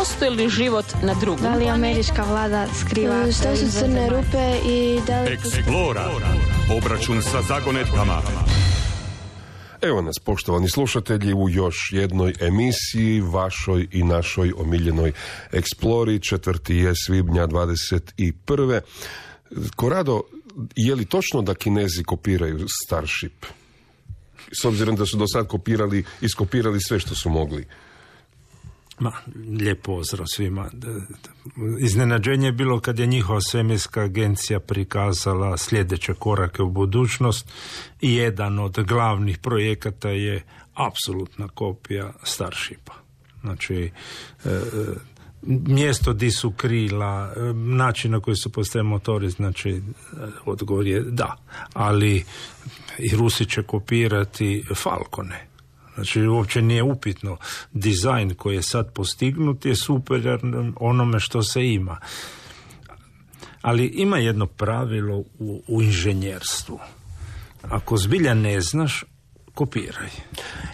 postoji li život na drugom? Da li američka vlada skriva? Što su crne rupe i da li... Explora. Obračun sa zagonetkama. Evo nas, poštovani slušatelji, u još jednoj emisiji, vašoj i našoj omiljenoj Explori. 4. je svibnja 21. Korado, je li točno da Kinezi kopiraju Starship? S obzirom da su do sad iskopirali sve što su mogli. Lijep pozdrav svima. Iznenađenje je bilo kad je njihova svemirska agencija prikazala sljedeće korake u budućnost i jedan od glavnih projekata je apsolutna kopija Starshipa. Znači, mjesto di su krila, način na koji su postoje motori, znači odgovor je da. Ali i Rusi će kopirati Falcone. Znači, uopće nije upitno. Dizajn koji je sad postignut je super onome što se ima. Ali ima jedno pravilo u inženjerstvu. Ako zbilja ne znaš, kopiraj.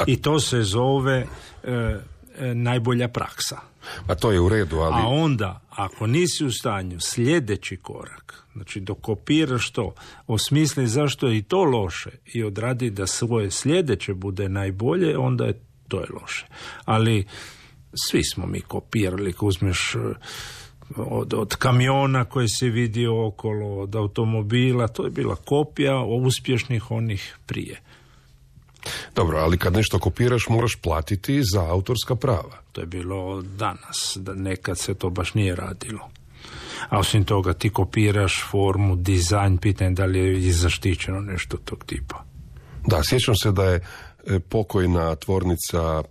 I to se zove najbolja praksa. A to je u redu, ali... A onda, ako nisi u stanju, sljedeći korak, znači dok kopiraš to, osmisli zašto je i to loše i odradi da svoje sljedeće bude najbolje, onda je to je loše. Ali svi smo mi kopirali, ako uzmeš od kamiona koje si vidio okolo, od automobila, to je bila kopija uspješnih onih prije. Dobro, ali kad nešto kopiraš moraš platiti za autorska prava. To je bilo danas, da nekad se to baš nije radilo. A osim toga ti kopiraš formu, dizajn, pitanje da li je zaštićeno nešto tog tipa. Da, sjećam se da je pokojna tvornica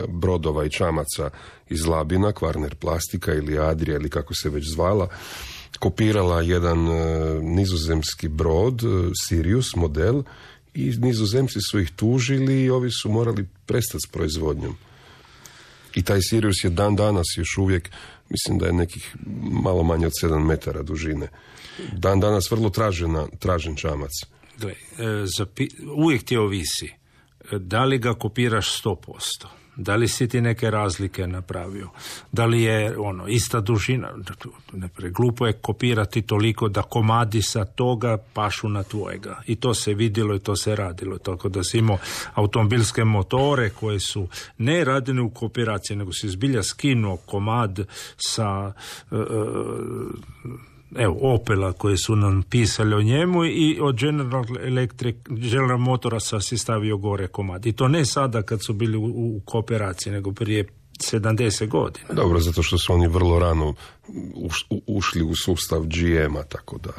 brodova i čamaca iz Labina, Kvarner Plastika ili Adria ili kako se već zvala, kopirala jedan nizozemski brod, Sirius model, i Nizozemci su ih tužili i ovi su morali prestati s proizvodnjom. I taj Sirius je dan danas još uvijek, mislim da je nekih malo manje od 7 metara dužine. Dan danas vrlo tražen čamac. Gle, uvijek ti ovisi. Da li ga kopiraš 100%? Da li si ti neke razlike napravio? Da li je ista dužina? Glupo je kopirati toliko da komadi sa toga pašu na tvojega. I to se vidjelo i to se radilo. Tako da si imao automobilske motore koje su ne radili u kooperaciji, nego si zbilja skinuo komad sa Opela koje su nam pisali o njemu i od General Motorsa si stavio gore komad. I to ne sada kad su bili u kooperaciji, nego prije 70 godina. Dobro, zato što su oni vrlo rano ušli u sustav GM-a, tako da...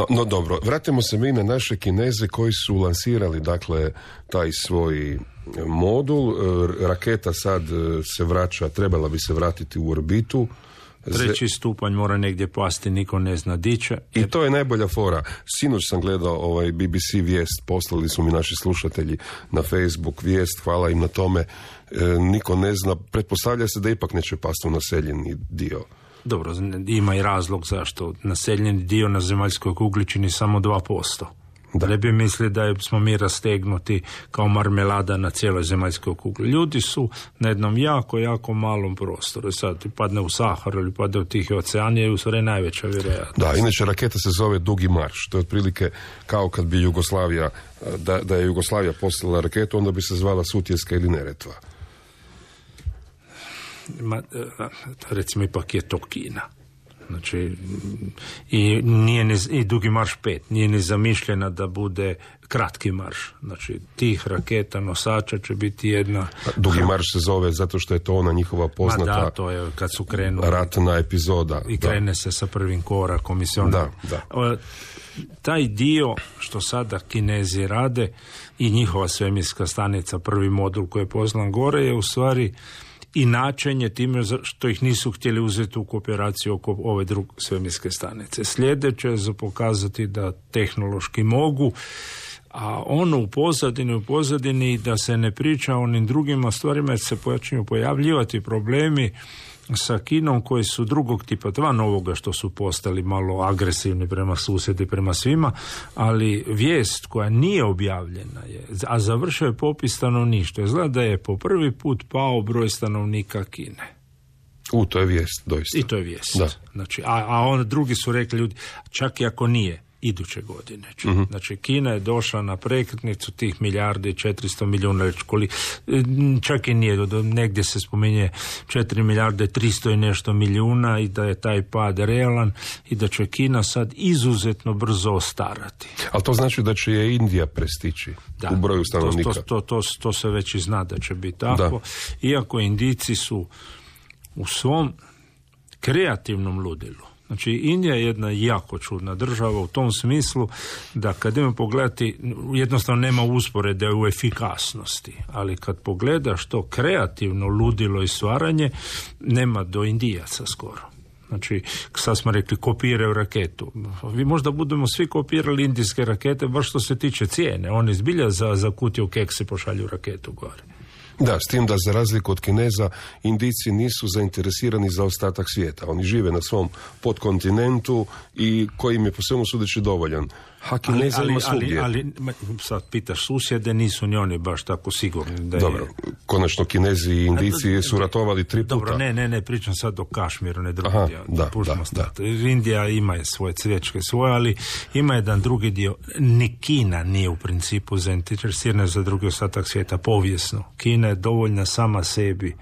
No dobro, vratimo se mi na naše Kineze koji su lansirali, dakle, taj svoj modul. Raketa sad se vraća, trebala bi se vratiti u orbitu. 3. stupanj mora negdje pasti, niko ne zna di će. I to je najbolja fora. Sinoć sam gledao BBC vijest, poslali su mi naši slušatelji na Facebook vijest, hvala im na tome. Niko ne zna, pretpostavlja se da ipak neće pasti u naseljeni dio. Dobro, ima i razlog zašto. Naseljeni dio na zemaljskoj kugli čini samo 2%. Da ne bi mislili da smo mi rastegnuti kao marmelada na cijeloj zemaljskoj kugli. Ljudi su na jednom jako malom prostoru. Sad ti padne u Saharu ili padne u Tihi ocean je u stvari najveća vjerojatnost. Da, inače raketa se zove Dugi marš. To je otprilike kao kad bi Jugoslavija, da je Jugoslavija poslala raketu, onda bi se zvala Sutjeska ili Neretva. Recimo ipak je to Kina. Znači, i Dugi marš 5 nije ni zamišljena da bude kratki marš. Znači, tih raketa nosača će biti jedna... Dugi marš se zove zato što je to ona njihova poznata... Da, to je kad su krenuli... ratna epizoda. I krene se sa prvim korakom. Da. Taj dio što sada Kinezi rade i njihova svemirska stanica, prvi modul koji je poslan gore, je u stvari... i načenje time što ih nisu htjeli uzeti u kooperaciju oko ove druge svemirske stanice. Sljedeće je za pokazati da tehnološki mogu, a u pozadini da se ne priča o onim drugima stvarima, jer se počinju pojavljivati problemi sa Kinom koji su drugog tipa, van ovoga što su postali malo agresivni prema susjedi, prema svima, ali vijest koja nije objavljena je, a završio je popis stanovništva, izgleda da je po prvi put pao broj stanovnika Kine. To je vijest, doista. I to je vijest. Da. Znači, a onda drugi su rekli ljudi, čak i ako nije, iduće godine. Znači, Kina je došla na prekretnicu tih milijardi 400 milijuna, čak i nije, negdje se spominje 4 milijarde 300 i nešto milijuna i da je taj pad realan i da će Kina sad izuzetno brzo ostarati. Ali to znači da će je Indija prestići u broju stanovnika. To se već i zna da će biti tako. Iako Indijci su u svom kreativnom ludilu. Znači, Indija je jedna jako čudna država u tom smislu da kad idemo pogledati, jednostavno nema usporede u efikasnosti, ali kad pogledaš to kreativno ludilo i stvaranje, nema do Indijaca skoro. Znači, sad smo rekli, kopiraju raketu. Vi možda budemo svi kopirali indijske rakete, baš što se tiče cijene. Oni zbilja za kutiju keksi pošalju raketu gore. Da, s tim da za razliku od Kineza, Indijci nisu zainteresirani za ostatak svijeta. Oni žive na svom podkontinentu i koji im je po svemu sudeći dovoljan. A Kineza ima svugdje. Ali sad pitaš susjede, nisu ni oni baš tako sigurni. Da dobro, konačno Kinezi i Indijci su ratovali 3 puta. Dobro, ne, pričam sad o Kašmiru, ne drugi dio. Da. Indija ima svoje cvječke svoje, ali ima jedan drugi dio. Ni Kina nije u principu zainteresirana za drugi ostatak svijeta, povijesno. Kina je dovoljna sama sebi.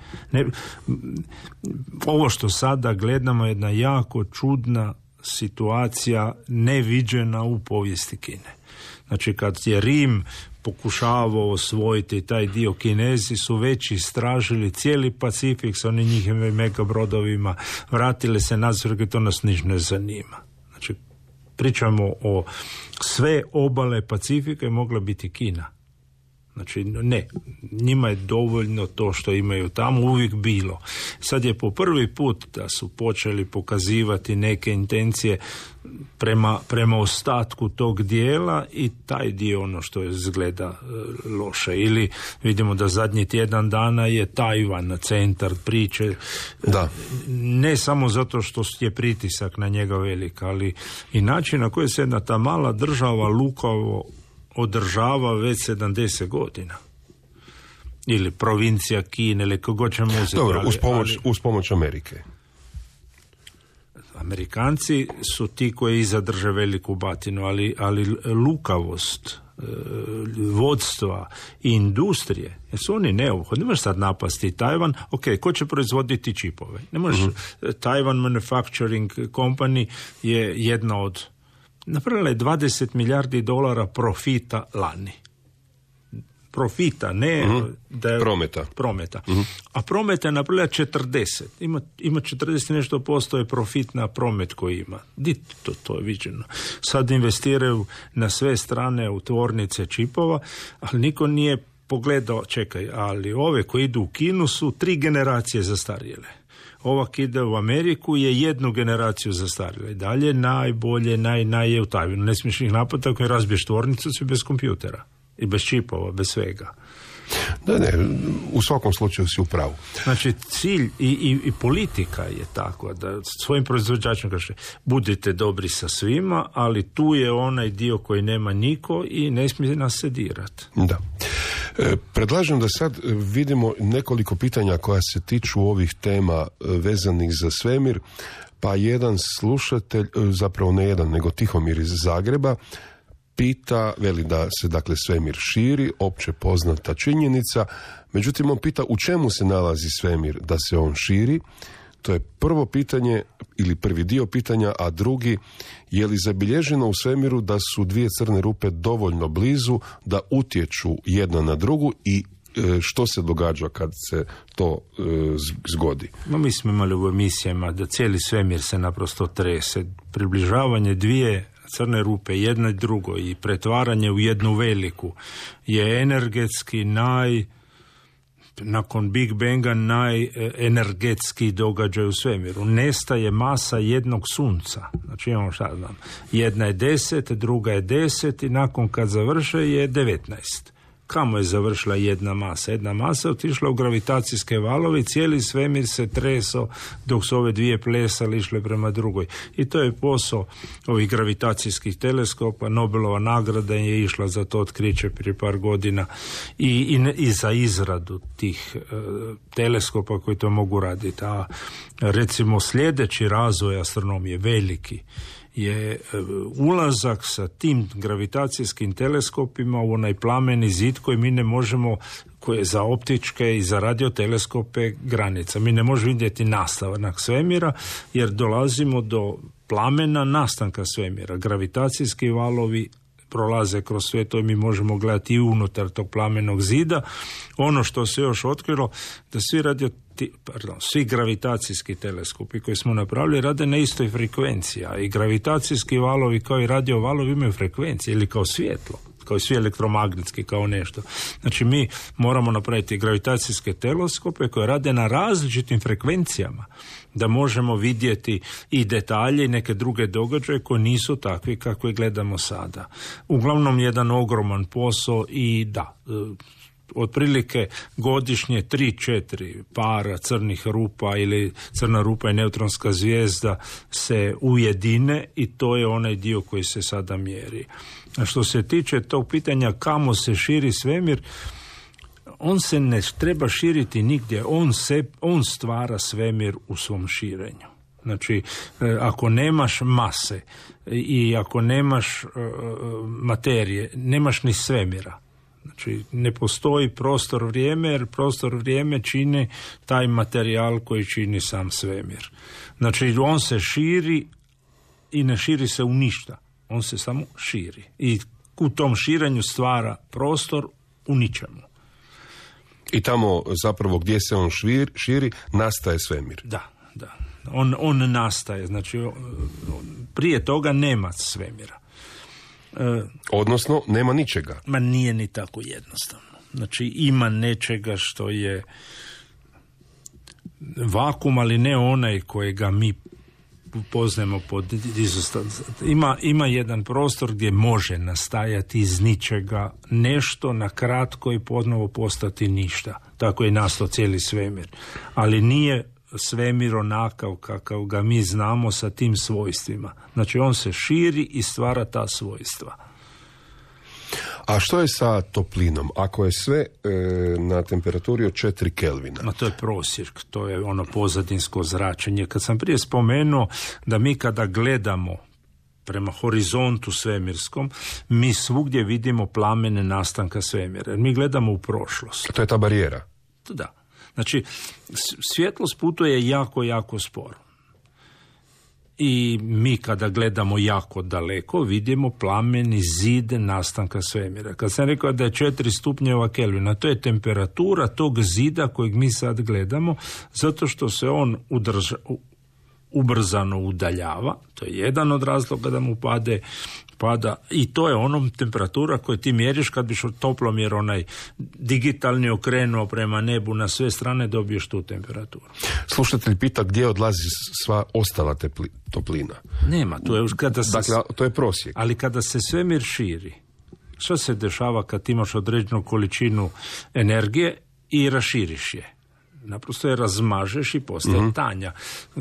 Ovo što sada gledamo je jedna jako čudna situacija neviđena u povijesti Kine. Znači, kad je Rim pokušavao osvojiti taj dio, Kinezi su već istražili cijeli Pacifik sa onim njihovim megabrodovima, vratili se nazad, to nas niš ne zanima. Znači, pričamo o sve obale Pacifika je mogla biti Kina. Znači, ne, njima je dovoljno to što imaju tamo uvijek bilo. Sad je po prvi put da su počeli pokazivati neke intencije prema ostatku tog dijela i taj dio ono što je izgleda loše. Ili vidimo da zadnji tjedan dana je Tajvan centar priče. Da. Ne samo zato što je pritisak na njega velik, ali i način na koji se jedna ta mala država lukavo održava već 70 godina. Ili provincija Kine, ili kako ćemo uzeti. Dobro, uz pomoć Amerike. Amerikanci su ti koji zadrže veliku batinu, ali lukavost vodstva i industrije, jer su oni neophodni. Ne možeš sad napasti Tajvan, ko će proizvoditi čipove? Ne možeš, Taiwan Manufacturing Company je jedna od napravila je $20 milijardi profita lani. Profita, ne da je prometa. A prometa je napravila 40. Ima 40 nešto posto je profit na promet koji ima. To je viđeno. Sad investiraju na sve strane u tvornice čipova, ali niko nije pogledao, ali ove koji idu u Kinu su 3 generacije zastarjele. Ova ide u Ameriku je 1 generaciju zastarjela. I dalje najbolje, je u Tajvanu. Ne smiješ ih napadati ako je razbiješ tvornicu, si bez kompjutera. I bez čipova, bez svega. Ne, u svakom slučaju si u pravu. Znači, cilj i politika je tako da svojim proizvođačima kaže budite dobri sa svima, ali tu je onaj dio koji nema niko i ne smije nas se dirati. Da. Predlažem da sad vidimo nekoliko pitanja koja se tiču ovih tema vezanih za svemir, pa jedan slušatelj, zapravo ne jedan, nego Tihomir iz Zagreba, pita, veli da se dakle svemir širi, opće poznata činjenica, međutim on pita u čemu se nalazi svemir da se on širi. To je prvo pitanje ili prvi dio pitanja, a drugi, je li zabilježeno u svemiru da su 2 crne rupe dovoljno blizu da utječu jedna na drugu i što se događa kad se to zgodi? Mi smo imali u emisijama da cijeli svemir se naprosto trese. Približavanje 2 crne rupe, jedna i drugo i pretvaranje u jednu veliku je energetski nakon Big Banga najenergetski događaj u svemiru. Nestaje masa jednog sunca. Znači imamo jedna je 10, druga je 10 i nakon kad završe je 19. Kamo je završila jedna masa? Jedna masa je otišla u gravitacijske valove i cijeli svemir se treso dok su ove 2 plesale išle prema drugoj. I to je posao ovih gravitacijskih teleskopa. Nobelova nagrada je išla za to otkriće prije par godina i za izradu tih teleskopa koji to mogu raditi. A Recimo sljedeći razvoj astronomije, veliki, je ulazak sa tim gravitacijskim teleskopima u onaj plameni zid koji mi ne možemo, koji je za optičke i za radioteleskope granica. Mi ne možemo vidjeti nastavak svemira jer dolazimo do plamena nastanka svemira. Gravitacijski valovi prolaze kroz sve to i mi možemo gledati i unutar tog plamenog zida. Ono što se još otkrilo, da svi gravitacijski teleskopi koji smo napravili rade na istoj frekvenciji, a i gravitacijski valovi kao i radio valovi imaju frekvencije ili kao svjetlo, kao i svi elektromagnetski, kao nešto. Znači mi moramo napraviti gravitacijske teleskope koje rade na različitim frekvencijama, da možemo vidjeti i detalje i neke druge događaje koji nisu takvi kakve gledamo sada. Uglavnom jedan ogroman posao i da, otprilike godišnje 3-4 para crnih rupa ili crna rupa i neutronska zvijezda se ujedine i to je onaj dio koji se sada mjeri. A što se tiče tog pitanja kamo se širi svemir, on se ne treba širiti nigdje, on stvara svemir u svom širenju. Znači, ako nemaš mase i ako nemaš materije, nemaš ni svemira. Znači, ne postoji prostor-vrijeme, jer prostor-vrijeme čini taj materijal koji čini sam svemir. Znači, on se širi i ne širi se u ništa. On se samo širi. I u tom širenju stvara prostor u ničemu. I tamo zapravo gdje se on širi, nastaje svemir. Da. On nastaje. Znači, prije toga nema svemira. Odnosno, nema ničega. Ma nije ni tako jednostavno. Znači, ima nečega što je vakum, ali ne onaj kojega mi poznajemo pod ima jedan prostor gdje može nastajati iz ničega nešto na kratko i ponovo postati ništa. Tako je nastao cijeli svemir. Ali nije svemir onakav kakav ga mi znamo sa tim svojstvima. Znači on se širi i stvara ta svojstva. A što je sa toplinom? Ako je sve na temperaturi od 4 Kelvina? No, to je prosjek, to je ono pozadinsko zračenje. Kad sam prije spomenuo da mi kada gledamo prema horizontu svemirskom, mi svugdje vidimo plamene nastanka svemira. Mi gledamo u prošlost. To je ta barijera? Da. Znači, svjetlost putuje jako, jako sporo. I mi kada gledamo jako daleko vidimo plameni zid nastanka svemira. Kad sam rekao da je 4 stupnjeva Kelvina, to je temperatura tog zida kojeg mi sad gledamo, zato što se on ubrzano udaljava. To je jedan od razloga da mu pada i to je onom temperatura koju ti mjeriš kad biš toplomjer onaj digitalni okrenuo prema nebu na sve strane, dobiješ tu temperaturu. Slušatelj pita gdje odlazi sva ostala toplina. Nema, to je kada se, dakle, to je prosjek. Ali kada se svemir širi, što se dešava kad imaš određenu količinu energije i raširiš je? Naprosto je razmažeš i postaje tanja.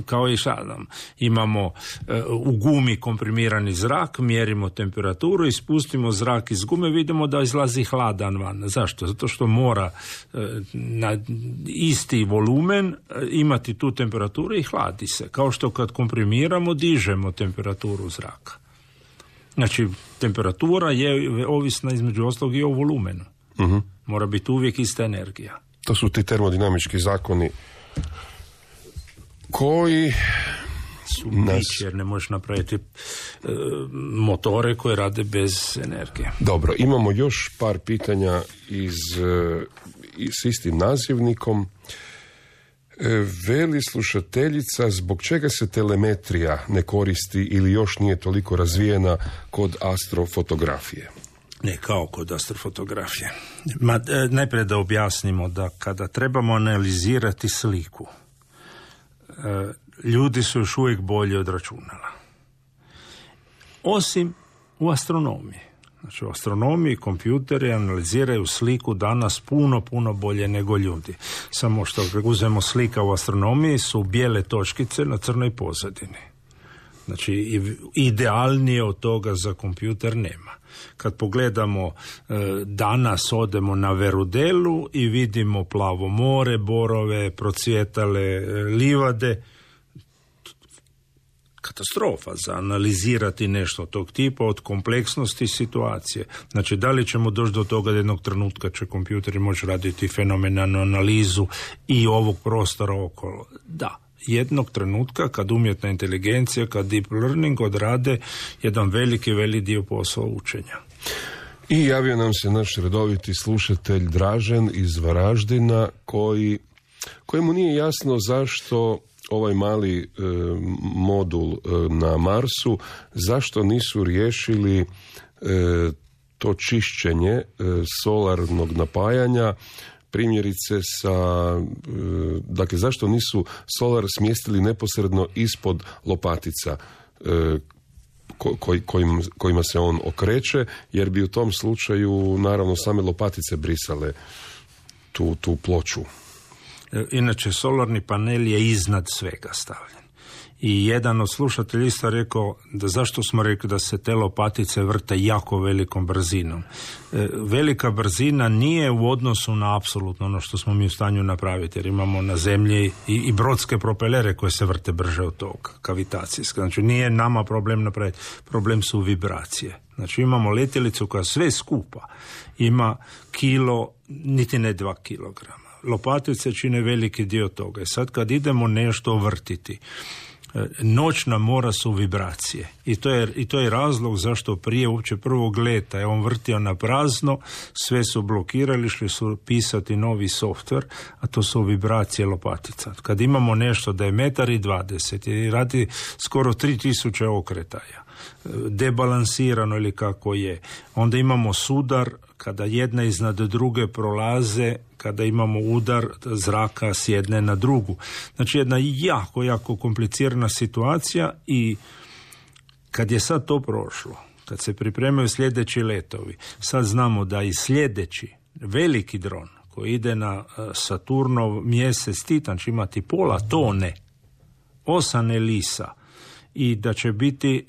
Kao i šadam. Imamo u gumi komprimirani zrak, mjerimo temperaturu i spustimo zrak iz gume, vidimo da izlazi hladan van. Zašto? Zato što mora na isti volumen imati tu temperaturu i hladi se. Kao što kad komprimiramo, dižemo temperaturu zraka. Znači, temperatura je ovisna između ostalog i o volumenu. Mora biti uvijek ista energija. To su ti termodinamički zakoni koji su bić, jer ne možeš napraviti motore koje rade bez energije. Dobro, imamo još par pitanja s istim nazivnikom. Veli slušateljica, zbog čega se telemetrija ne koristi ili još nije toliko razvijena kod astrofotografije? Ne kao kod astrofotografije. Najprije da objasnimo da kada trebamo analizirati sliku, ljudi su još uvijek bolji od računala. Osim u astronomiji. Znači u astronomiji kompjuteri analiziraju sliku danas puno bolje nego ljudi. Samo što uzmemo slika u astronomiji su bijele točkice na crnoj pozadini. Znači idealnije od toga za kompjuter nema. Kad pogledamo danas odemo na Verudelu i vidimo plavo more, borove, procvjetale livade, katastrofa za analizirati nešto tog tipa od kompleksnosti situacije. Znači, da li ćemo doći do toga da jednog trenutka će kompjuteri moći raditi fenomenalnu analizu i ovog prostora okolo? Da. Jednog trenutka kad umjetna inteligencija, kad deep learning odrade jedan veliki dio posla učenja. I javio nam se naš redoviti slušatelj Dražen iz Varaždina kojemu nije jasno zašto ovaj mali modul na Marsu, zašto nisu riješili to čišćenje solarnog napajanja, primjerice dakle, zašto nisu solar smjestili neposredno ispod lopatica kojima se on okreće, jer bi u tom slučaju naravno same lopatice brisale tu ploču. Inače, solarni panel je iznad svega stavljen. I jedan od slušatelja isto rekao da zašto smo rekli da se te lopatice vrte jako velikom brzinom. Velika brzina nije u odnosu na apsolutno ono što smo mi u stanju napraviti, jer imamo na zemlji i brodske propelere koje se vrte brže od toga, kavitacijske. Znači, nije nama problem napraviti, problem su vibracije. Znači, imamo letjelicu koja sve skupa ima kilo, niti ne 2 kilograma. Lopatice čine veliki dio toga. I sad kad idemo nešto vrtiti, noćna mora su vibracije. I to je razlog zašto prije uopće prvog leta je on vrtio na prazno, sve su blokirali, išli su pisati novi softver, a to su vibracije lopatica. Kad imamo nešto da je 1,20 m i radi skoro 3000 okretaja, debalansirano ili kako je, onda imamo sudar kada jedna iznad druge prolaze, kada imamo udar zraka s jedne na drugu. Znači, jedna jako komplicirana situacija. I kad je sad to prošlo, kad se pripremaju sljedeći letovi, sad znamo da i sljedeći veliki dron koji ide na Saturnov mjesec Titan će imati pola tone, 8 elisa, i da će biti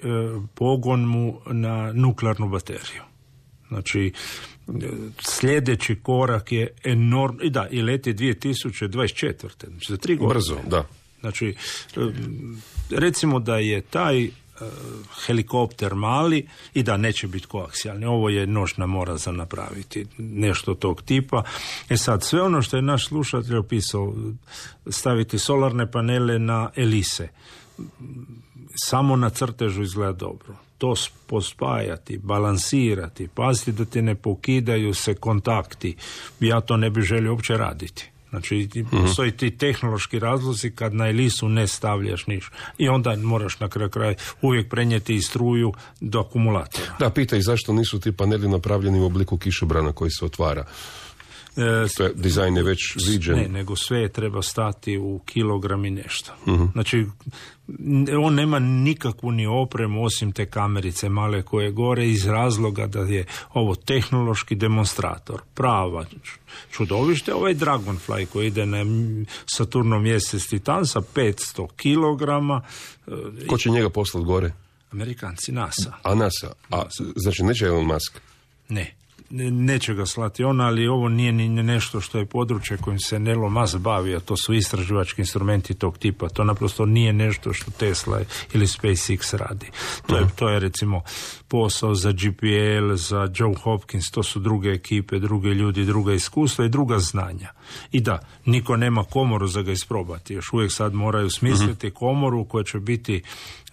pogon mu na nuklearnu bateriju. Znači, sljedeći korak je enormno, i leti 2024. Znači, za 3 godine. Brzo, da. Znači, recimo da je taj helikopter mali i da neće biti koaksijalni. Ovo je noćna mora za napraviti nešto tog tipa. Sad, sve ono što je naš slušatelj opisao, staviti solarne panele na elise, samo na crtežu izgleda dobro. To pospajati, balansirati, paziti da ti ne pokidaju se kontakti. Ja to ne bih želio uopće raditi. Znači, postoji ti tehnološki razlozi kad na elisu ne stavljaš ništa. I onda moraš na kraju uvijek prenijeti i struju do akumulatora. Da, pitaj zašto nisu ti paneli napravljeni u obliku kišobrana koji se otvara. Dizajn je već viđen. Ne, nego sve treba stati u kilogram i nešto. Znači, on nema nikakvu ni opremu osim te kamerice male koje gore, iz razloga da je ovo tehnološki demonstrator. Prava čudovište. Ovaj Dragonfly koji ide na Saturnov mjesec Titan sa 500 kilograma. Ko će njega poslati gore? Amerikanci, NASA. A NASA? Znači neće Elon Musk? Ne. Neće ga slati on, ali ovo nije ni nešto što je područje kojim se Elon Musk bavi, a to su istraživački instrumenti tog tipa. To naprosto nije nešto što Tesla ili SpaceX radi. To je recimo posao za GPL, za John Hopkins, to su druge ekipe, druge ljudi, druga iskustva i druga znanja. I da, niko nema komoru za ga isprobati. Još uvijek sad moraju smisliti komoru koja će biti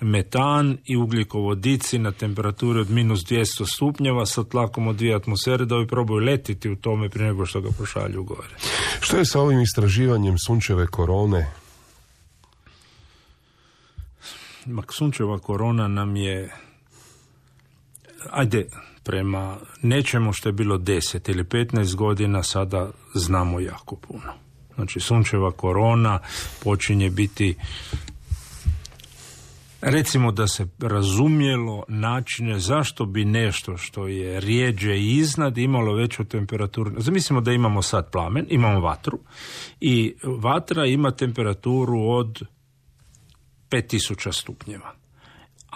metan i ugljikovodici na temperaturi od -200 stupnjeva sa tlakom od 2 atmosfere, da ovi probaju letiti u tome prije nego što ga pošalju gore. Što je sa ovim istraživanjem sunčeve korone? Sunčeva korona nam je, prema nečemu što je bilo 10 ili 15 godina, sada znamo jako puno. Znači, sunčeva korona počinje biti, recimo da se razumjelo načine zašto bi nešto što je rijeđe i iznad imalo veću temperaturu. Zamislimo da imamo sad plamen, imamo vatru i vatra ima temperaturu od 5000 stupnjeva.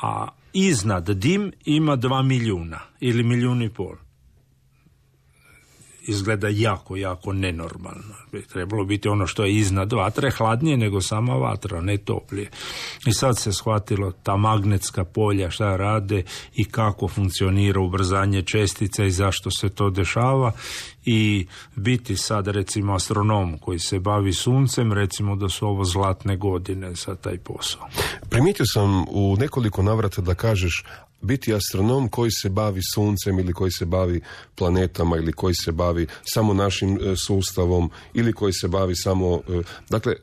A iznad dim ima 2 milijuna ili 1,5 milijuna. izgleda jako, jako nenormalno. Bi trebalo biti ono što je iznad vatre, hladnije nego sama vatra, ne toplije. I sad se shvatilo ta magnetska polja šta rade i kako funkcionira ubrzanje čestica i zašto se to dešava. I biti sad recimo astronom koji se bavi suncem, recimo da su ovo zlatne godine za taj posao. Primijetio sam u nekoliko navrata da kažeš biti astronom koji se bavi suncem ili koji se bavi planetama ili koji se bavi samo našim sustavom ili koji se bavi samo... Dakle,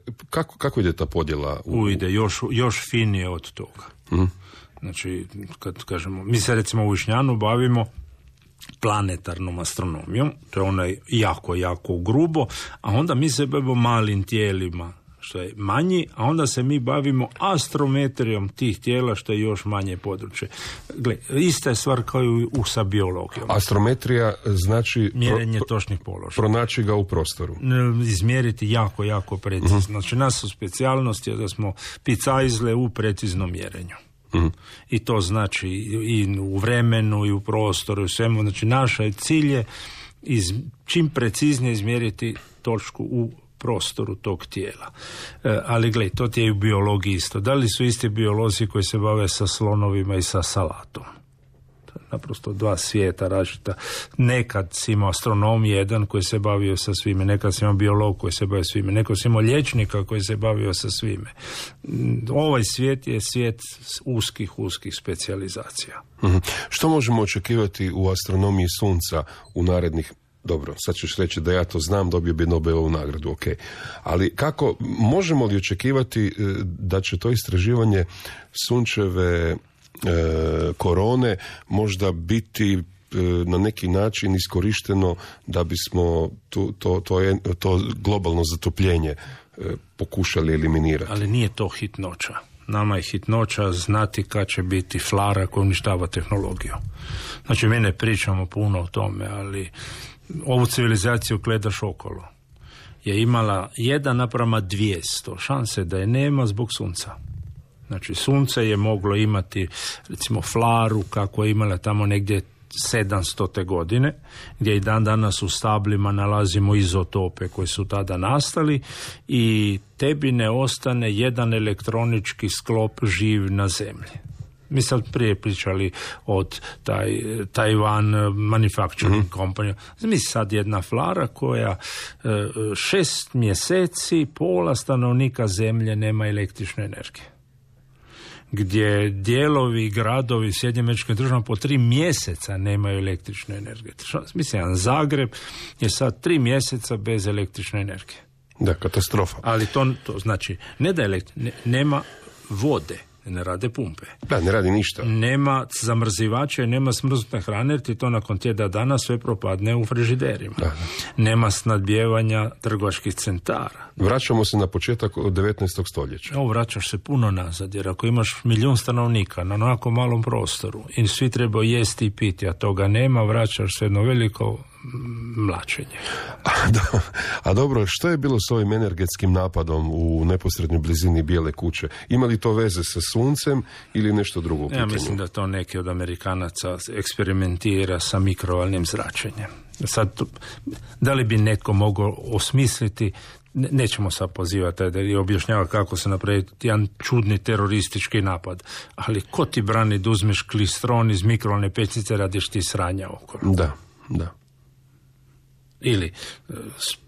kako ide ta podjela? Ide još finije od toga. Znači, kad kažemo, mi se recimo u Višnjanu bavimo planetarnom astronomijom, to je onaj jako, jako grubo, a onda mi se bavimo malim tijelima, što je manji, a onda se mi bavimo astrometrijom tih tijela, što je još manje područje. Gle, ista je stvar kao i sa biologijom. Astrometrija znači... Mjerenje točnih položaja. Pronaći ga u prostoru. Izmjeriti jako, jako precizno. Znači, nas su specijalnosti da smo picajzle u preciznom mjerenju. I to znači i u vremenu i u prostoru i u svemu. Znači, naša cilj je čim preciznije izmjeriti točku u prostoru tog tijela. Ali gledaj, to ti je i u biologiji isto. Da li su isti biolozi koji se bave sa slonovima i sa salatom? Naprosto dva svijeta različita. Nekad si imao astronom jedan koji se bavio sa svime, nekad si imao biolog koji se bavio svime, nekad si imao liječnika koji se bavio sa svime. Ovaj svijet je svijet uskih specijalizacija. Što možemo očekivati u astronomiji sunca u narednih... Dobro, sad ćeš reći da ja to znam, dobio bi Nobelovu nagradu, ok. Ali kako, možemo li očekivati da će to istraživanje sunčeve korone možda biti na neki način iskorišteno da bismo to globalno zatopljenje pokušali eliminirati? Ali nije to hitnoća. Nama je hitnoća znati kad će biti flara koja uništava tehnologiju. Znači, mi ne pričamo puno o tome, ali ovu civilizaciju gledaš okolo je imala 1:200 šanse da je nema zbog sunca. Znači, sunce je moglo imati, recimo, flaru kako je imala tamo negdje 700. godine, gdje i dan danas u stablima nalazimo izotope koji su tada nastali i tebi ne ostane jedan elektronički sklop živ na zemlji. Mi sad prije pričali od Taiwan Manufacturing Company. Mi sad jedna flara koja 6 mjeseci pola stanovnika zemlje nema električne energije. Gdje dijelovi, gradovi Sjedinjenih Američkih Država po 3 mjeseca nemaju električne energije. Mislim, Zagreb je sad 3 mjeseca bez električne energije. Da, katastrofa. Ali to znači, ne da nema vode, ne rade pumpe. Da, ne radi ništa. Nema zamrzivača i nema smrznute hrane, jer ti to nakon tjedna dana sve propadne u frižiderima. Da. Nema snadbijevanja trgovačkih centara. Vraćamo se na početak od 19. stoljeća. Vraćaš se puno nazad, jer ako imaš 1 milijun stanovnika na onako malom prostoru i svi trebaju jesti i piti, a toga nema, vraćaš se jedno veliko mlačenje. A dobro, što je bilo s ovim energetskim napadom u neposrednoj blizini Bijele kuće? Ima li to veze sa suncem ili nešto drugo? Ja mislim da to neki od Amerikanaca eksperimentira sa mikrovalnim zračenjem. Sad, da li bi netko mogao osmisliti, nećemo sad pozivati da je objašnjava kako se napravi jedan čudni teroristički napad, ali ko ti brani da uzmeš klistron iz mikrovalne pećnice, radiš ti sranja okolo? Da. Ili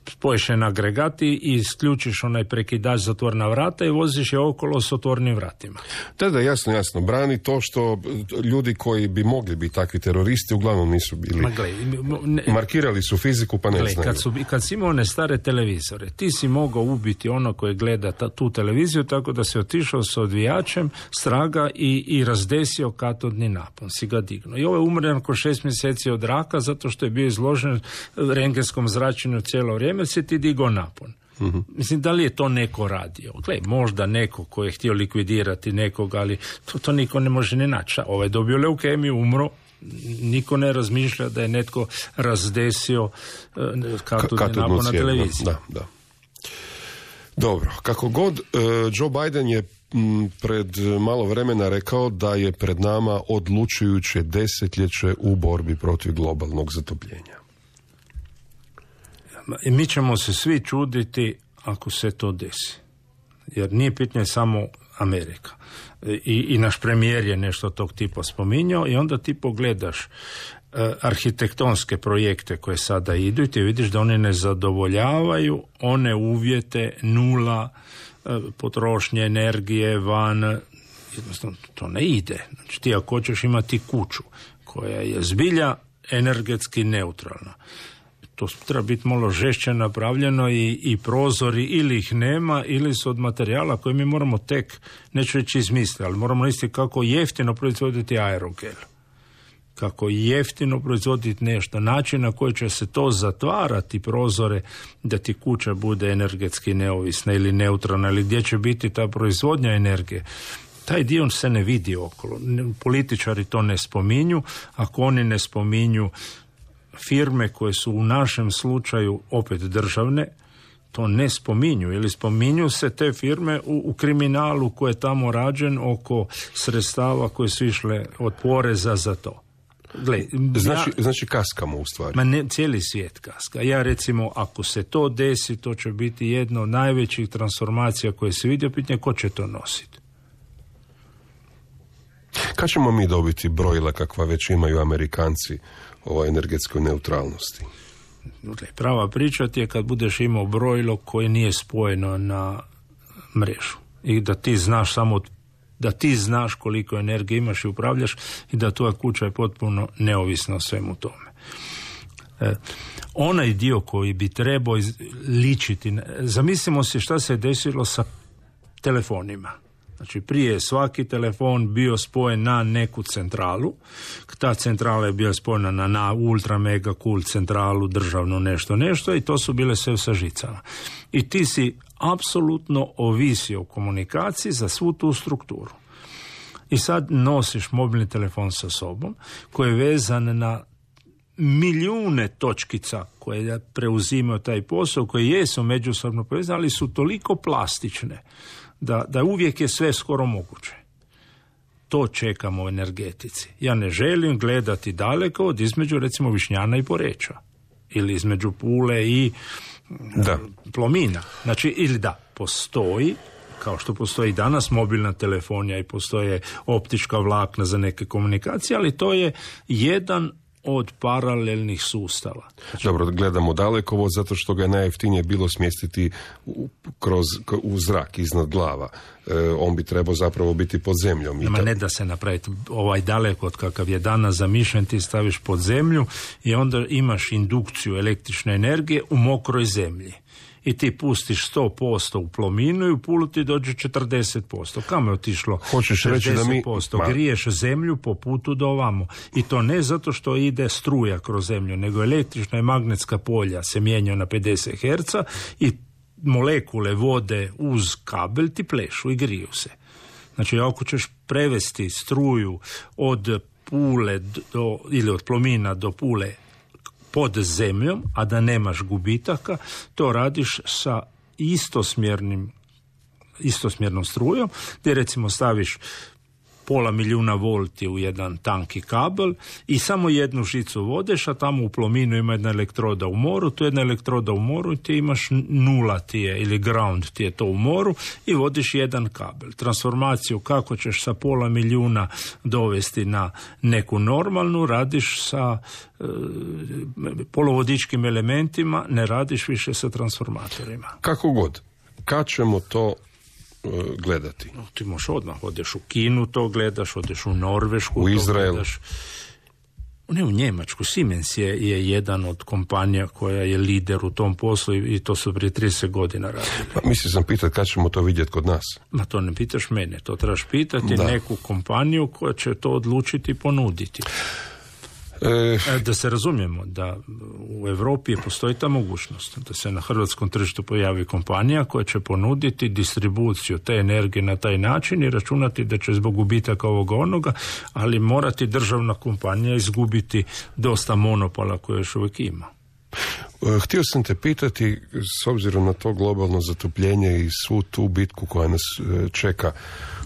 spojiš je na agregati i isključiš onaj prekidač za otvorena vrata i voziš je okolo s otvornim vratima. Da, jasno. Brani to što ljudi koji bi mogli biti takvi teroristi uglavnom nisu bili. Markirali su fiziku pa ne znaju. Kad si imao one stare televizore, ti si mogao ubiti ono koje gleda tu televiziju, tako da si otišao s odvijačem straga i razdesio katodni napon, si ga dignuo. I ovo je umro nakon 6 mjeseci od raka zato što je bio izložen rengenskom zračenju cijelo vrijeme, se ti digao napon. Mislim, da li je to neko radio? Gle, možda neko ko je htio likvidirati nekoga, ali to niko ne može ni naći. Ovaj je dobio leukemiju, umro, niko ne razmišlja da je netko razdesio katodni napon na televiziji. Da. Dobro, kako god, Joe Biden je pred malo vremena rekao da je pred nama odlučujuće desetljeće u borbi protiv globalnog zatopljenja. I mi ćemo se svi čuditi ako se to desi. Jer nije pitanje samo Amerika. I naš premijer je nešto tog tipa spominjao i onda ti pogledaš arhitektonske projekte koje sada idu i ti vidiš da oni ne zadovoljavaju one uvjete nula potrošnje energije van, jednostavno to ne ide. Znači ti ako hoćeš imati kuću koja je zbilja energetski neutralna, to treba biti malo žešće napravljeno i prozori ili ih nema ili su od materijala koje mi moramo tek, neću reći izmisliti, ali moramo misliti kako jeftino proizvoditi aerogel. Kako jeftino proizvoditi nešto, način na koji će se to zatvarati prozore da ti kuća bude energetski neovisna ili neutralna ili gdje će biti ta proizvodnja energije. Taj dio se ne vidi okolo. Političari to ne spominju, ako oni ne spominju firme koje su u našem slučaju opet državne, to ne spominju ili spominju se te firme u kriminalu koji je tamo rađen oko sredstava koje su išle od poreza za to. Gle, znači kaskamo u stvari. Ma ne, cijeli svijet kaska. Ja recimo, ako se to desi, to će biti jedna od najvećih transformacija koje se vidi, pitanje ko će to nositi. Kad ćemo mi dobiti brojila kakva već imaju Amerikanci o energetskoj neutralnosti? Prava priča ti je kad budeš imao brojilo koje nije spojeno na mrežu i da ti znaš samo da ti znaš koliko energije imaš i upravljaš i da tvoja kuća je potpuno neovisna o svemu tome. Onaj dio koji bi trebao ličiti, zamislimo se šta se je desilo sa telefonima. Znači prije je svaki telefon bio spojen na neku centralu, ta centrala je bila spojena na ultra mega cool centralu, državno nešto i to su bile sve sa žicama. I ti si apsolutno ovisio o komunikaciji za svu tu strukturu. I sad nosiš mobilni telefon sa sobom koji je vezan na milijune točkica koje preuzimaju taj posao, koje jesu međusobno povezane, ali su toliko plastične da uvijek je sve skoro moguće. To čekamo u energetici. Ja ne želim gledati daleko od između recimo Višnjana i Poreča ili između Pule i Plomina. Znači, ili postoji, kao što postoji danas mobilna telefonija i postoje optička vlakna za neke komunikacije, ali to je jedan od paralelnih sustava. Znači, dobro, gledamo dalekovod zato što ga je najjeftinije bilo smjestiti u zrak iznad glava. On bi trebao zapravo biti pod zemljom. Nema ne da se napraviti ovaj dalekod kakav je danas zamišljen, ti staviš pod zemlju i onda imaš indukciju električne energije u mokroj zemlji. I ti pustiš 100% u Plominu i u Pulu ti dođe 40%. Kamo je otišlo? Hoćeš 60%? Reći da mi... Griješ zemlju po putu do ovamo. I to ne zato što ide struja kroz zemlju, nego električna i magnetska polja se mijenjaju na 50 Hz i molekule vode uz kabel ti plešu i griju se. Znači, ako ćeš prevesti struju od Pule ili od Plomina do Pule pod zemljom, a da nemaš gubitaka, to radiš sa istosmjernom strujom, gdje recimo staviš 0,5 milijuna volti u jedan tanki kabel i samo jednu žicu vodeš, a tamo u Plominu ima jedna elektroda u moru, tu jedna elektroda u moru i ti imaš nula ti je, ili ground ti je to u moru i vodiš jedan kabel. Transformaciju kako ćeš sa 0,5 milijuna dovesti na neku normalnu, radiš sa polovodičkim elementima, ne radiš više sa transformatorima. Kako god. Kad ćemo to gledati? Ti možeš odmah, odeš u Kinu to gledaš, odeš u Norvešku, u Izrael. Gledaš. Ne, u Njemačku. Siemens je jedan od kompanija koja je lider u tom poslu i to su prije 30 godina radili. Mislio sam pitati kad ćemo to vidjeti kod nas. Ma to ne pitaš mene, to trebaš pitati neku kompaniju koja će to odlučiti i ponuditi. Da se razumijemo, da u Europi postoji ta mogućnost da se na hrvatskom tržištu pojavi kompanija koja će ponuditi distribuciju te energije na taj način i računati da će zbog gubitaka ovoga onoga, ali morati državna kompanija izgubiti dosta monopola koje još uvijek ima. Htio sam te pitati, s obzirom na to globalno zatopljenje i svu tu bitku koja nas čeka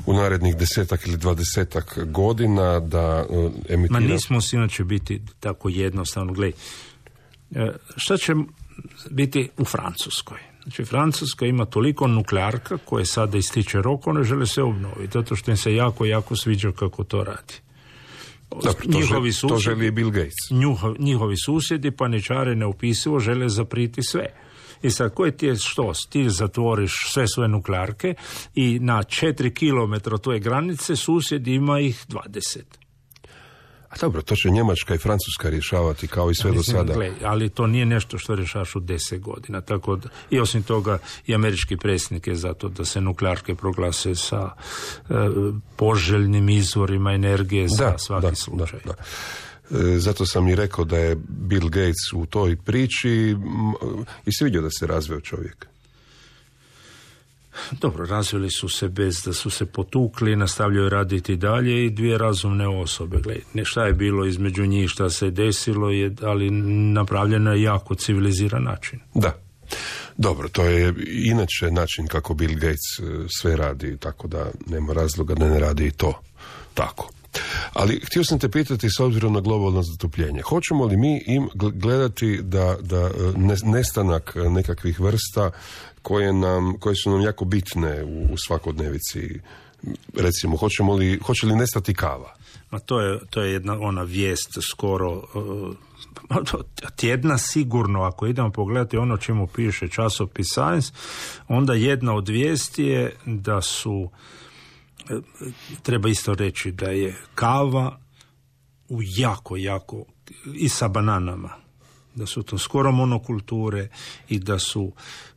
u narednih 10 ili 20 godina da emitira... Ma nismo si inače biti tako jednostavno. Gledaj, šta će biti u Francuskoj. Znači, Francuska ima toliko nuklearka koje sada ističe rok, one žele se obnoviti, zato što im se jako, jako sviđa kako to radi. To želi i Bill Gates. Njihovi susjedi, paničare neopisivo, žele zapriti sve. I sad, koji ti je što? Ti zatvoriš sve svoje nuklearke i na 4 kilometra tvoje granice susjed ima ih 20. A dobro, to će Njemačka i Francuska rješavati kao i sve do sada. Ali to nije nešto što rješavaš u 10 godina. Tako da, i osim toga i američki predsjednik je zato da se nuklearke proglase sa poželjnim izvorima energije za svaki slučaj. Da. Zato sam i rekao da je Bill Gates u toj priči i se vidio da se razveo čovjek. Dobro, razvili su se bez da su se potukli, nastavljaju raditi dalje i dvije razumne osobe. Gledaj, šta je bilo između njih, šta se desilo, ali napravljeno je jako civiliziran način. Da. Dobro, to je inače način kako Bill Gates sve radi, tako da nema razloga da ne radi i to tako. Ali htio sam te pitati, s obzirom na globalno zatopljenje, hoćemo li mi gledati da nestanak nekakvih vrsta koje su nam jako bitne u svakodnevici, recimo, hoće li nestati kava? Ma to je jedna ona vijest skoro tjedna sigurno, ako idemo pogledati ono čemu piše časopis Science, onda jedna od vijesti je da su, treba isto reći da je kava u jako i sa bananama, da su to skoro monokulture i da su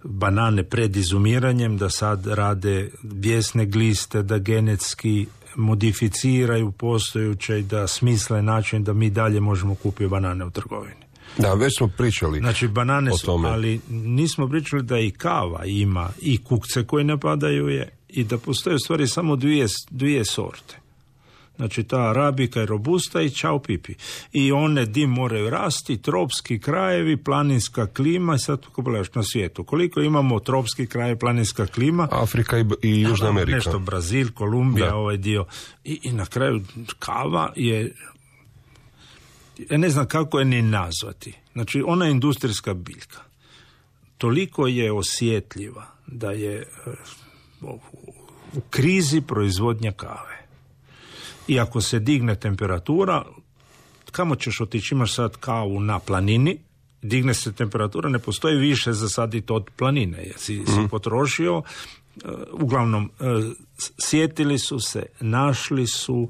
banane pred izumiranjem, da sad rade bijesne gliste, da genetski modificiraju postojuće i da smisle način da mi dalje možemo kupiti banane u trgovini. Da, već smo pričali. Znači, banane o tome. Ali nismo pričali da i kava ima i kukce koji napadaju je i da postoje u stvari samo dvije sorte. Znači, ta arabika i robusta i čao pipi. I one dim moraju rasti, tropski krajevi, planinska klima, i sad kako gledaš na svijetu. Koliko imamo tropski kraj, planinska klima? Afrika i Južna Amerika. Nešto, Brazil, Kolumbija, ovaj dio. I na kraju kava je, ja ne znam kako je ni nazvati. Znači, ona je industrijska biljka. Toliko je osjetljiva da je u krizi proizvodnja kave. I ako se digne temperatura, kamo ćeš otići? Imaš sad kavu na planini, digne se temperatura, ne postoji više za saditi od planine. Jer si potrošio, uglavnom sjetili su se, našli su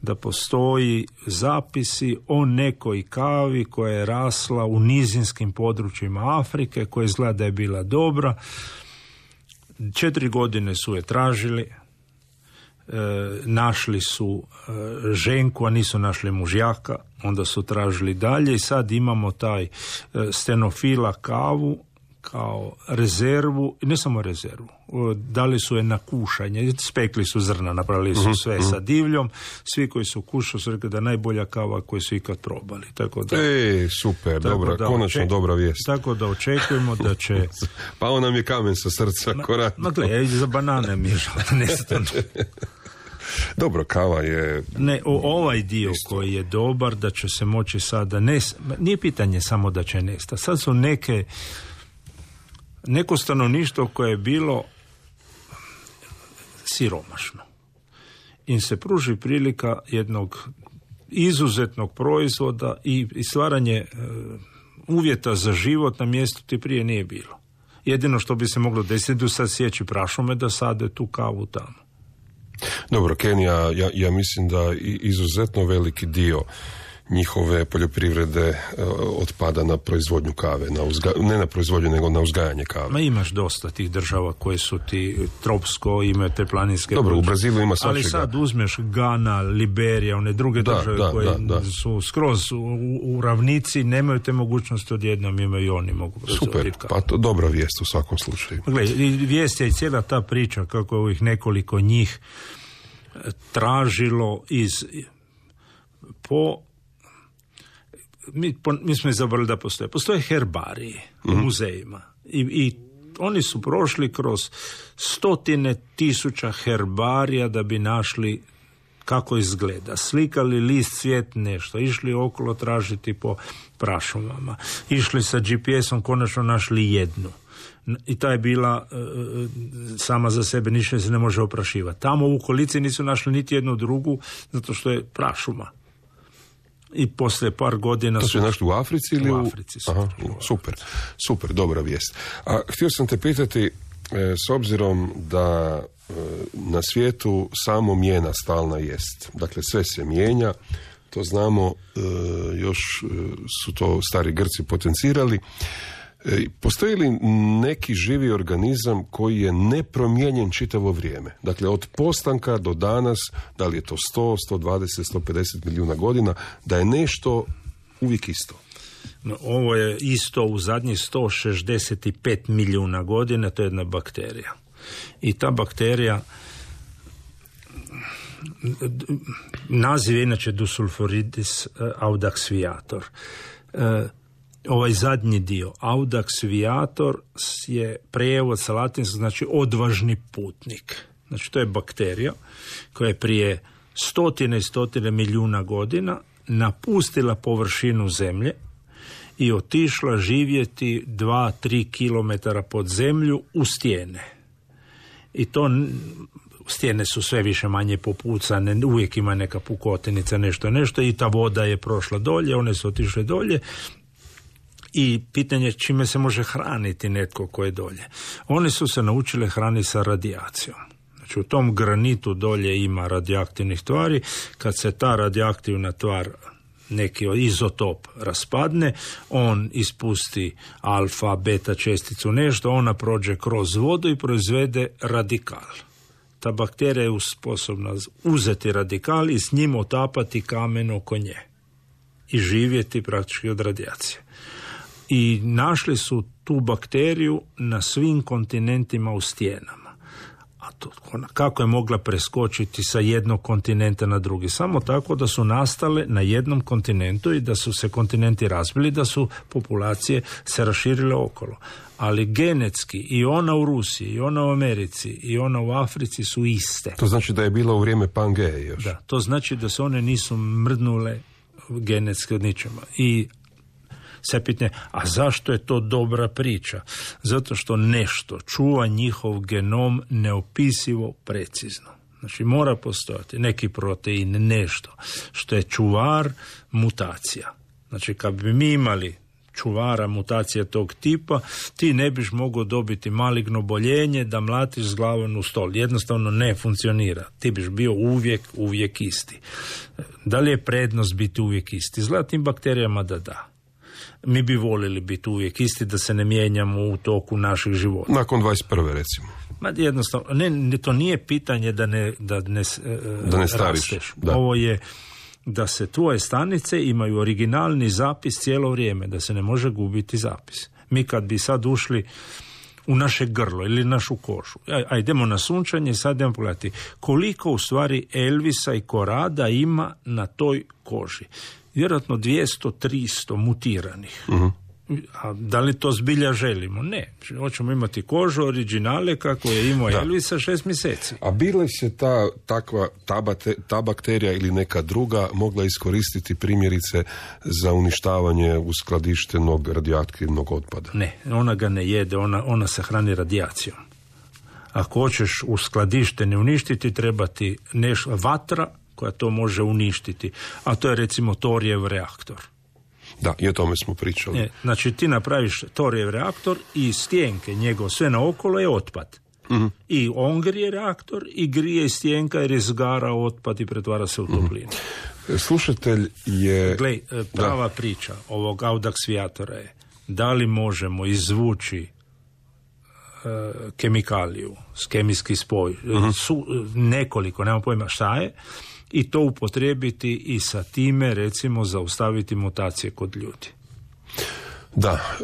da postoji zapisi o nekoj kavi koja je rasla u nizinskim područjima Afrike, koja izgleda da je bila dobra. 4 godine su je tražili, našli su ženku, a nisu našli mužjaka, onda su tražili dalje i sad imamo taj stenofila kavu kao rezervu, ne samo rezervu, dali su je na kušanje, spekli su zrna, napravili su sve sa divljom, svi koji su kušali su rekli da je najbolja kava koju su ikad probali. Tako da, super, dobra, konačno dobra vijest. Tako da očekujemo da će... Pao nam je kamen sa srca. Ma gle, za banane mi je žao, nestano. Dobro, kava je... Ne, ovaj dio isto koji je dobar, da će se moći sada... Nije pitanje samo da će nestati. Sad su neko stanovništvo koje je bilo siromašno. Im se pruži prilika jednog izuzetnog proizvoda i stvaranje uvjeta za život na mjestu ti prije nije bilo. Jedino što bi se moglo desiti, sad sjeći prašume da sade tu kavu tamo. Dobro, Kenija, ja mislim da izuzetno veliki dio njihove poljoprivrede otpada na proizvodnju kave, ne na proizvodnju, nego na uzgajanje kave. Ma imaš dosta tih država koje su ti tropsko, imaju te planinske... Dobro, u Brazilu ima svačega. Ali sad uzmeš Gana, Liberija, one druge države koje su skroz u ravnici, nemaju te mogućnosti, odjednom imaju i oni mogu proizvoditi kavu. Pa to dobra vijest u svakom slučaju. Gle, vijest je i cijela ta priča kako je ovih nekoliko njih tražilo mi smo izabrali da postoje herbarije u muzejima i oni su prošli kroz 100,000 herbarija da bi našli kako izgleda, slikali list svijet nešto, išli okolo tražiti po prašumama, išli sa GPS-om, konačno našli jednu. I ta je bila sama za sebe, ništa se ne može oprašivati. Tamo u okolici nisu našli niti jednu drugu, zato što je prašuma. I poslije par godina... To su našli u Africi ili u Africi? Super, dobra vijest. A htio sam te pitati, s obzirom da na svijetu samo mijena stalna jest. Dakle, sve se mijenja, to znamo, još su to stari Grci potencirali. Postoji li neki živi organizam koji je nepromijenjen čitavo vrijeme? Dakle, od postanka do danas, da li je to 100, 120, 150 milijuna godina, da je nešto uvijek isto? No, ovo je isto u zadnjih 165 milijuna godina, to je jedna bakterija. I ta bakterija, naziv je inače Dusulforidis audax viator. Ovaj zadnji dio, audax viator, je prijevod sa latinskog, znači odvažni putnik. Znači to je bakterija koja je prije stotine i stotine milijuna godina napustila površinu zemlje i otišla živjeti 2-3 kilometara pod zemlju u stijene. I to stijene su sve više manje popucane, uvijek ima neka pukotinica, nešto i ta voda je prošla dolje, one su otišle dolje. I pitanje čime se može hraniti netko ko je dolje. Oni su se naučili hraniti sa radijacijom. Znači u tom granitu dolje ima radioaktivnih tvari. Kad se ta radioaktivna tvar, neki izotop, raspadne, on ispusti alfa, beta česticu, nešto, ona prođe kroz vodu i proizvede radikal. Ta bakterija je sposobna uzeti radikal i s njim otapati kamen oko nje i živjeti praktički od radijacije. I našli su tu bakteriju na svim kontinentima u stijenama. A to, kako je mogla preskočiti sa jednog kontinenta na drugi? Samo tako da su nastale na jednom kontinentu i da su se kontinenti razbili, da su populacije se raširile okolo. Ali genetski i ona u Rusiji, i ona u Americi, i ona u Africi su iste. To znači da je bila u vrijeme Pangeje još? Da, to znači da se one nisu mrdnule genetski od ničega. I se pitanje, a zašto je to dobra priča? Zato što nešto čuva njihov genom neopisivo precizno. Znači mora postojati neki protein, nešto što je čuvar mutacija. Znači kad bi mi imali čuvara mutacije tog tipa, ti ne biš mogao dobiti maligno boljenje da mlatiš s glavom u stol. Jednostavno ne funkcionira. Ti biš bio uvijek isti. Da li je prednost biti uvijek isti? Zlatim bakterijama da. Mi bi volili biti uvijek isti, da se ne mijenjamo u toku naših života. Nakon 21. recimo. Jednostavno, to nije pitanje da ne stariš. Da. Ovo je da se tvoje stanice imaju originalni zapis cijelo vrijeme, da se ne može gubiti zapis. Mi kad bi sad ušli u naše grlo ili našu kožu, idemo na sunčanje, sad idemo pogledati koliko u stvari Elvisa i Korada ima na toj koži. Vjerojatno 200-300 mutiranih. Uh-huh. A da li to zbilja želimo? Ne. Hoćemo imati kožu originale kako je imao Elvisa 6 mjeseci. A bila se ta bakterija ili neka druga mogla iskoristiti primjerice za uništavanje uskladištenog radioaktivnog otpada? Ne, ona ga ne jede, ona se hrani radijacijom. Ako hoćeš uskladištene uništiti, treba ti vatra koja to može uništiti. A to je recimo torijev reaktor. Da, i o tome smo pričali. Znači ti napraviš torijev reaktor i stijenke njegov, sve naokolo je otpad. Uh-huh. I on grije reaktor i grije stijenka jer izgara otpad i pretvara se u toplinu. Uh-huh. Slušatelj je... Glej, prava priča ovog audax viatora je da li možemo izvući kemikaliju, kemijski spoj, nekoliko, nemam pojma šta je, i to upotrijebiti i sa time recimo zaustaviti mutacije kod ljudi. Da,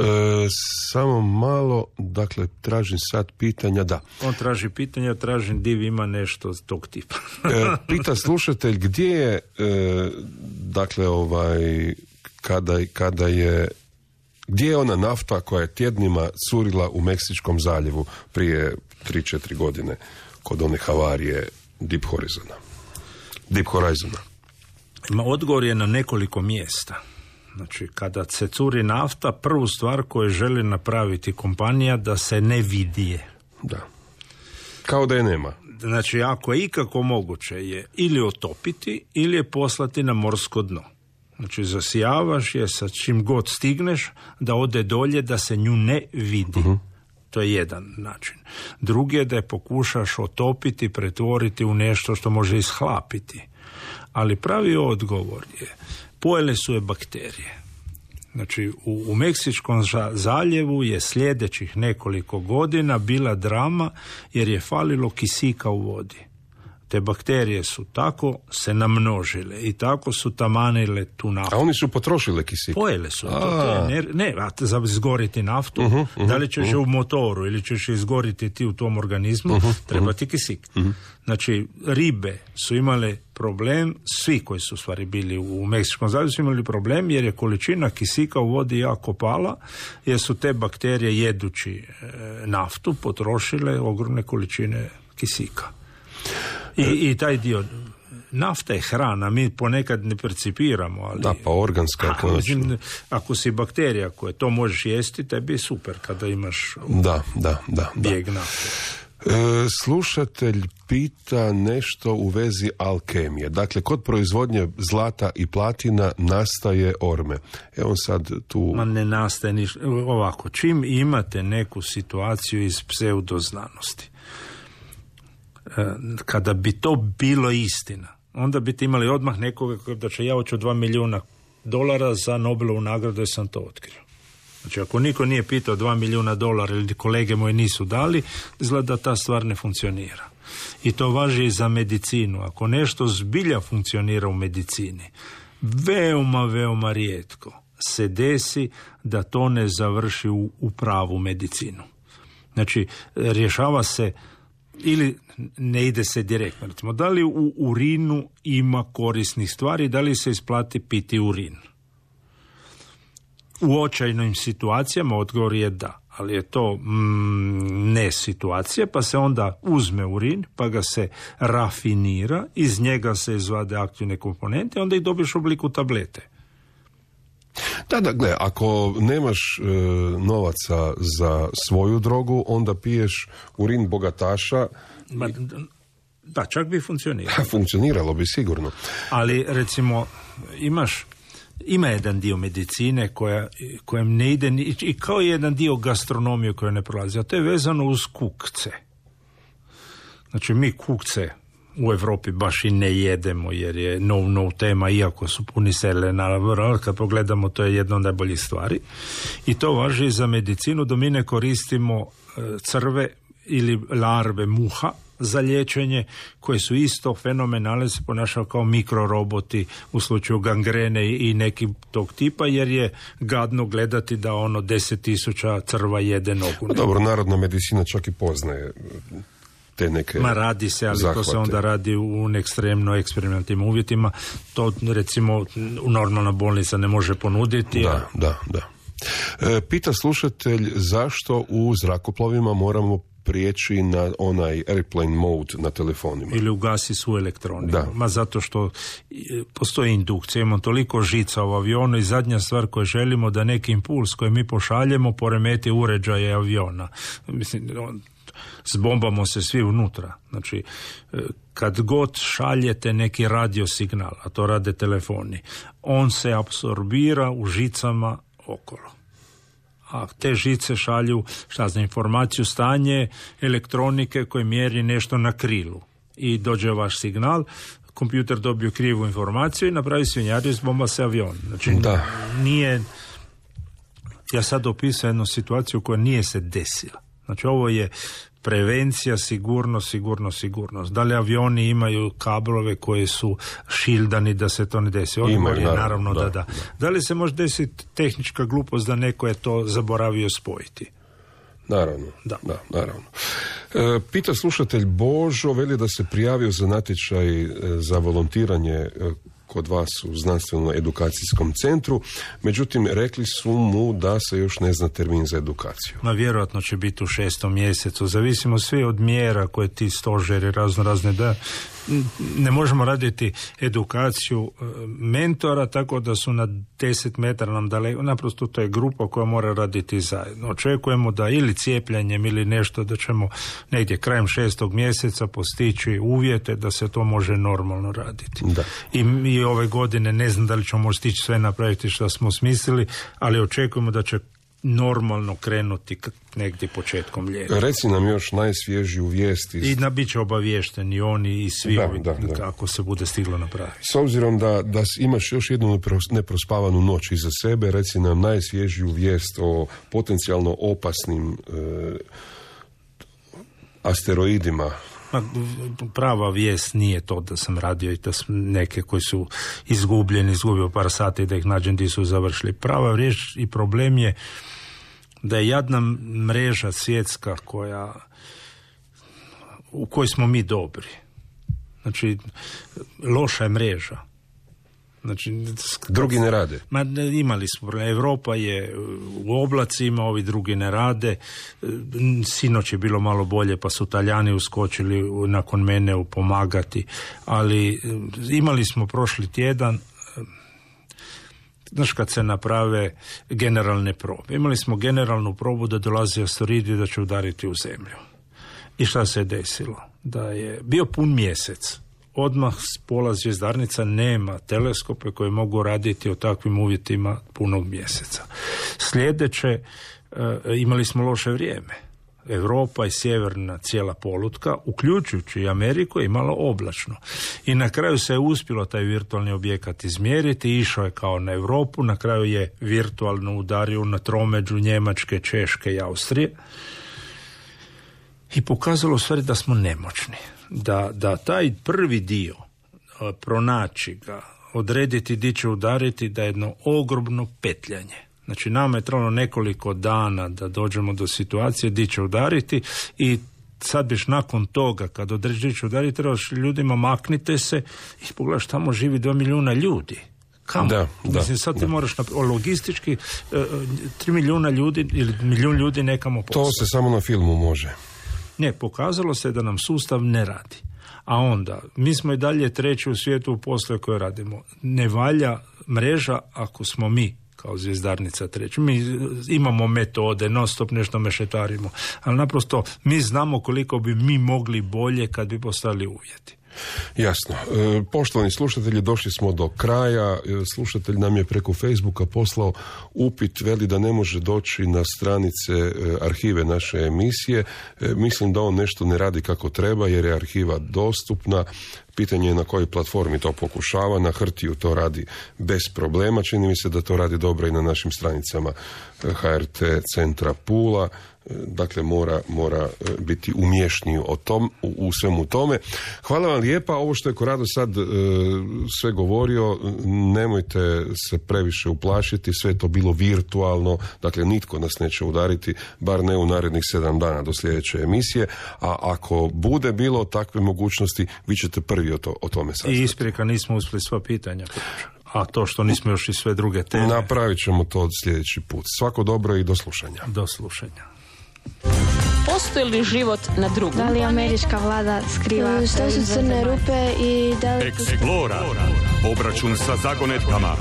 samo malo, dakle, tražim sad pitanja, da. On traži pitanja, tražim div ima nešto tog tipa. Pita slušatelj, gdje je, dakle, kada je, gdje je ona nafta koja je tjednima curila u Meksičkom zaljevu prije 3-4 godine kod one havarije Deep Horizona? Deep Horizona? Odgovor je na nekoliko mjesta. Znači, kada se curi nafta, prvu stvar koju želi napraviti kompanija da se ne vidije. Da. Kao da je nema. Znači, ako je ikako moguće je ili otopiti ili je poslati na morsko dno. Znači, zasijavaš je sa čim god stigneš da ode dolje da se nju ne vidi. Uh-huh. To je jedan način. Drugi je da je pokušaš otopiti, pretvoriti u nešto što može ishlapiti. Ali pravi odgovor je, pojele su je bakterije. Znači, u Meksičkom zaljevu je sljedećih nekoliko godina bila drama jer je falilo kisika u vodi. Te bakterije su tako se namnožile i tako su tamanile tu naftu. A oni su potrošile kisik? Pojele su. Za izgoriti naftu, da li ćeš je u motoru ili ćeš je izgoriti ti u tom organizmu, treba ti kisik. Znači, ribe su imale problem, svi koji su u stvari bili u Meksičkom zaljevu su imali problem jer je količina kisika u vodi jako pala, jer su te bakterije jedući naftu potrošile ogromne količine kisika. I taj dio, nafta je hrana, mi ponekad ne percipiramo, ali... Da, pa organska je konačno. Ako si bakterija koja to možeš jesti, tebi je super kada imaš bijeg nafte. Slušatelj pita nešto u vezi alkemije. Dakle, kod proizvodnje zlata i platina nastaje orme. On sad tu... Ma ne nastaje ništa. Ovako, čim imate neku situaciju iz pseudoznanosti, kada bi to bilo istina, onda bi imali odmah nekoga da će ja hoću $2 milijuna za Nobelovu nagradu jer sam to otkrio. Znači, ako niko nije pitao $2 milijuna ili kolege moji nisu dali, izgleda da ta stvar ne funkcionira. I to važi i za medicinu. Ako nešto zbilja funkcionira u medicini, veoma rijetko se desi da to ne završi u pravu medicinu. Znači, rješava se ili ne ide se direktno. Recimo, da li u urinu ima korisnih stvari, da li se isplati piti urin? U očajnim situacijama odgovor je da, ali je to ne situacija, pa se onda uzme urin, pa ga se rafinira, iz njega se izvade aktivne komponente, onda ih dobiješ u obliku tablete. Da, gle, ako nemaš novaca za svoju drogu, onda piješ urin bogataša. Da, čak bi funkcioniralo. Funkcioniralo bi sigurno. Ali, recimo, ima jedan dio medicine kojem ne ide, i kao jedan dio gastronomije koja ne prolazi, a to je vezano uz kukce. Znači, mi kukce u Europi baš i ne jedemo jer je no tema, iako su puni selena, kad pogledamo to je jedna od najboljih stvari. I to važi za medicinu, da mi ne koristimo crve ili larve muha za liječenje, koje su isto fenomenalne, se ponašaju kao mikroroboti u slučaju gangrene i neki tog tipa, jer je gadno gledati da 10.000 crva jede nogu. No, dobro, narodna medicina čak i poznaje te neke radi se, ali zahvate. To se onda radi u ekstremno eksperimentalnim uvjetima. To, recimo, normalna bolnica ne može ponuditi. Da. Pita slušatelj zašto u zrakoplovima moramo prijeći na onaj airplane mode na telefonima. Ili ugasi svu elektroniku. Ma zato što postoji indukcija, imamo toliko žica u avionu i zadnja stvar koju želimo da neki impuls koji mi pošaljemo poremeti uređaje aviona. Mislim, zbombamo se svi unutra. Znači, kad god šaljete neki radio signal, a to rade telefoni, on se apsorbira u žicama okolo. A te žice šalju, informaciju, stanje elektronike koje mjeri nešto na krilu. I dođe vaš signal, kompjuter dobije krivu informaciju i napravi svinjariju, zbomba se avion. Znači, nije... Ja sad opisujem jednu situaciju koja nije se desila. Znači, ovo je prevencija, sigurnost. Da li avioni imaju kablove koji su šildani da se to ne desi? Odgovor je naravno da. Da li se može desiti tehnička glupost da neko je to zaboravio spojiti? Naravno. Pita slušatelj Božo, veli da se prijavio za natječaj za volontiranje kod vas u znanstveno-edukacijskom centru. Međutim, rekli su mu da se još ne zna termin za edukaciju. Vjerojatno će biti u 6. mjesecu. Zavisimo svi od mjera koje ti stožeri razne da ne možemo raditi edukaciju mentora tako da su na 10 metara nam daleko. Naprosto to je grupa koja mora raditi zajedno. Očekujemo da ili cijepljenjem ili nešto da ćemo negdje krajem 6. mjeseca postići uvjete da se to može normalno raditi. Da. I ove godine ne znam da li ćemo stići sve napraviti što smo smislili, ali očekujemo da će normalno krenuti negdje početkom ljeta. Reci nam još najsvježiju vijest. I bit će obaviješteni oni i svi kako se bude stiglo napraviti. S obzirom da imaš još jednu neprospavanu noć iza sebe, reci nam najsvježiju vijest o potencijalno opasnim asteroidima. Prava vijest nije to da sam radio i da neke koji su izgubio par sati da ih nađem gdje su završili. Prava vijest i problem je da je jadna mreža svjetska u kojoj smo mi dobri. Znači, loša je mreža. Znači, drugi ne rade. Imali smo, Europa je u oblacima, ovi drugi ne rade. Sinoć je bilo malo bolje, pa su Talijani uskočili nakon mene pomagati. Ali imali smo prošli tjedan, znaš, kad se naprave generalne probe. Imali smo generalnu probu da dolazi asteroid i da će udariti u zemlju. I šta se je desilo? Da je bio pun mjesec. Odmah s pola zvjezdarnica nema teleskope koje mogu raditi o takvim uvjetima punog mjeseca. Sljedeće, imali smo loše vrijeme. Europa i sjeverna cijela polutka, uključujući i Ameriku, je imalo oblačno. I na kraju se je uspjelo taj virtualni objekat izmjeriti, išao je kao na Europu, na kraju je virtualno udario na tromeđu Njemačke, Češke i Austrije. I pokazalo u stvari da smo nemoćni. Da taj prvi dio, pronaći ga, odrediti di će udariti, da je jedno ogromno petljanje. Znači, nama je trebalo nekoliko dana da dođemo do situacije di će udariti i sad biš nakon toga, kad odredi di će udariti, trebaš ljudima maknite se i pogledaš, tamo živi 2 milijuna ljudi. Kamo? Mislim, sad ti moraš logistički 3 milijuna ljudi ili milijun ljudi nekamo poslati. To se samo na filmu može. Ne, pokazalo se da nam sustav ne radi. A onda, mi smo i dalje treći u svijetu u poslu koje radimo. Ne valja mreža ako smo mi kao zvjezdarnica treći. Mi imamo metode, non stop nešto mešetarimo, ali naprosto mi znamo koliko bi mi mogli bolje kad bi postali uvjeti. Jasno. Poštovani slušatelji, došli smo do kraja. Slušatelj nam je preko Facebooka poslao upit, veli da ne može doći na stranice arhive naše emisije. Mislim da on nešto ne radi kako treba jer je arhiva dostupna. Pitanje je na kojoj platformi to pokušava. Na Hrtiju to radi bez problema. Čini mi se da to radi dobro i na našim stranicama HRT centra Pula. Dakle, mora biti umješniji u svemu tome. Hvala vam lijepa. Ovo što je Korado sad sve govorio, nemojte se previše uplašiti, sve je to bilo virtualno, dakle nitko nas neće udariti, bar ne u narednih 7 dana do sljedeće emisije, a ako bude bilo takve mogućnosti, vi ćete prvi o tome saznati. I isprika, nismo uspjeli sva pitanja. A to što nismo još i sve druge teme. Napravit ćemo to sljedeći put. Svako dobro i do slušanja. Do slušanja. Postoji li život na drugom? Da li američka vlada skriva? Što su crne rupe i da li... Explora. Obračun sa zagonetkama.